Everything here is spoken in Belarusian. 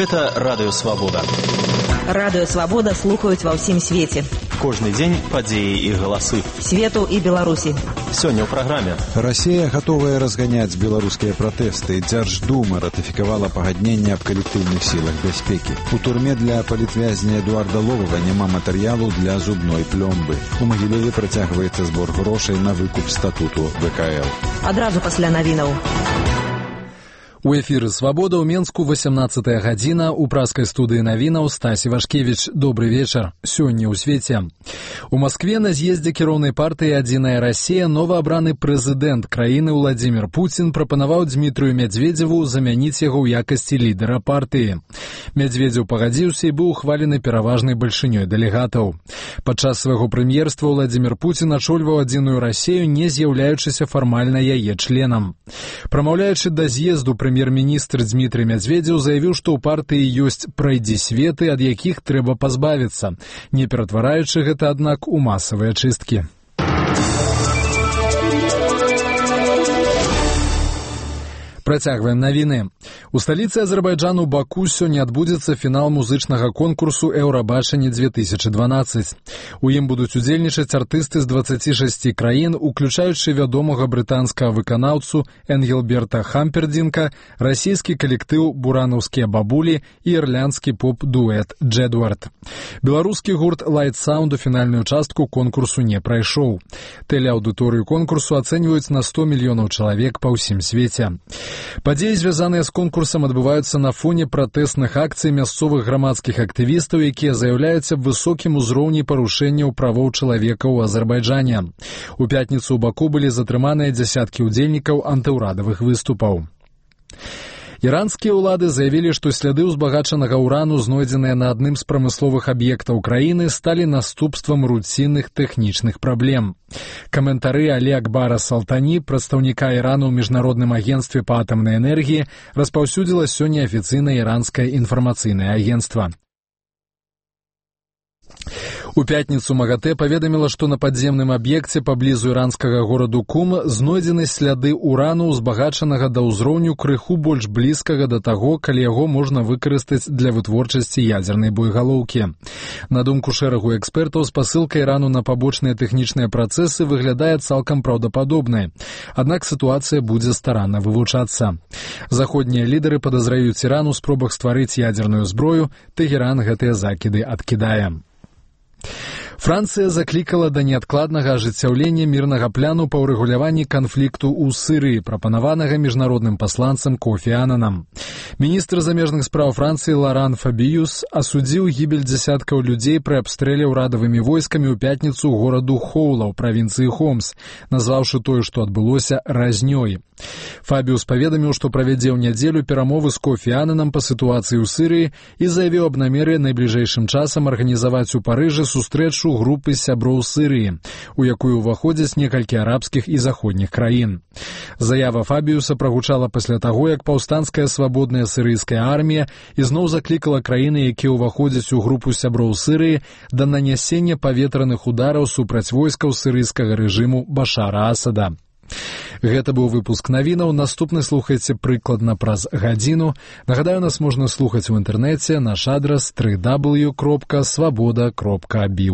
Гэта Радыё Свабода. Радыё Свабода слухаюць ва ўсім свеце. Кожны дзень падзеі і галасы. Свету і Беларусі. Сёння ў праграме. Расія гатовая разганяць беларускія пратэсты. Дзярждума ратыфікавала пагадненне аб калектыўных сілах бяспекі. У турме для палітвязня Эдуарда Ловава няма матэрыялу для зубной плёмбы. У Магілёве працягваецца збор грошай на выкуп статуту ВКЛ. Адразу пасля навінаў. У эфіры «Свабода» ў Менску 18 гадзіна. У праскай студыі навінаў Стасі Вашкевіч. Добры вечар. Сёння ў свеце. У Маскве на з'ездзе кіроўнай партыі «Адзіная Расія» новаабраны прэзідэнт краіны Владзімір Пуцін прапанаваў Дмітрыю Мядзведзеву замяніць яго ў якасці лідара партыі. Мядзведзеў пагадзіўся і быў ухвалены пераважнай бальшынёй дэлегатаў. Падчас свайго прэм'ерства Владзімір Пуцін ачольваў «Адзіную Расію», не з'яўляючыся фармальна яе членам. Прамаўляючы да з'езду, прэм'ер-міністр Дмітрый Мядзведзеў заявіў, што ў партыі ёсць прайдзісветы, ад якіх трэба пазбавіцца, не ператвараючы гэта, аднак, у масавыя чысткі. Працягваем навіны. У сталіцы Азербайджану Баку сёння адбудзецца фінал музычнага конкурсу «Еўрабачанне-2012». У ім будуць удзельнічаць артысты з 26 краін, уключаючы вядомага брытанскага выканаўцу Энгелберта Хампердинка, расійскі калектыў «Буранаўскія бабулі» і ірландскі поп-дуэт «Джэдвард». Беларускі гурт «Light Sound» у фінальную частку конкурсу не прайшоў. Тэлеаўдыторыю конкурсу ацэньваюць на 100 мільёнаў чалавек па ўсім свеце. Падзеі, звязаныя з конкурсам, адбываюцца на фоне пратэсных акцый мясцовых грамадскіх актывістаў, якія заяўляюць аб высокім узроўні парушэнняў правоў чалавека ў Азербайджане. У пятніцу ў Баку былі затрыманыя дзясяткі ўдзельнікаў антыўрадавых выступаў. Іранскія ўлады заявілі, што сляды ўзбагачанага ўрану, знойдзеныя на адным з прамысловых аб'ектаў краіны, сталі наступствам руцінных тэхнічных праблем. Каментары Алі Акбара Салтані, прадстаўніка Ірану ў міжнародным агенцтве па атамнай энергіі, распаўсюдзіла сёння афіцыйнае іранскае інфармацыйнае агенцтва. У пятніцу МАГАТЭ паведаміла, што на падземным аб'екце паблізу іранскага гораду Кум знойдзены сляды ўрану, узбагачанага да ўзроўню крыху больш блізкага да таго, калі яго можна выкарыстаць для вытворчасці ядзернай боегалоўкі. На думку шэрагу экспертаў, спасылка Ірану на пабочныя тэхнічныя працэсы выглядае цалкам праўдападобнай. Аднак сітуацыя будзе старанна вывучацца. Заходнія лідары падазраюць Іран у спробах стварыць ядзерную зброю, Тэгеран гэтыя закіды адкідае. Францыя заклікала да неадкладнага ажыццяўлення мірнага пляну па ўрэгуляванні канфлікту ў Сырыі, прапанаванага міжнародным пасланцам Кофі Ананам. Міністр замежных спраў Францыі Лоран Фабіюс асудзіў гібель дзясяткаў людзей пры абстрэле ўрадавымі войскамі ў пятніцу гораду Хоула ў правінцыі Хомс, назваўшы тое, што адбылося, разнёй. Фабіюс паведаміў, што правядзе ў нядзелю перамовы з Кофі Ананам па сітуацыі ў Сырыі і заявіў аб намеры найбліжэйшым часам арганізаваць у Парыжы сустрэчу групы сяброў Сырыі, у якую ўваходзяць некалькі арабскіх і заходніх краін. Заява Фабіюса прагучала пасля таго, як паўстанцкая свабодная сырыйская армія ізноў заклікала краіны, якія ўваходзяць у групу сяброў Сырыі, да нанясення паветраных удараў супраць войскаў сырыйскага рэжыму Башара Асада. Гэта быў выпуск навінаў. Наступны слухайце прыкладна праз гадзіну. Нагадаю, нас можна слухаць у інтэрнэце. Наш адрас www.swaboda.by.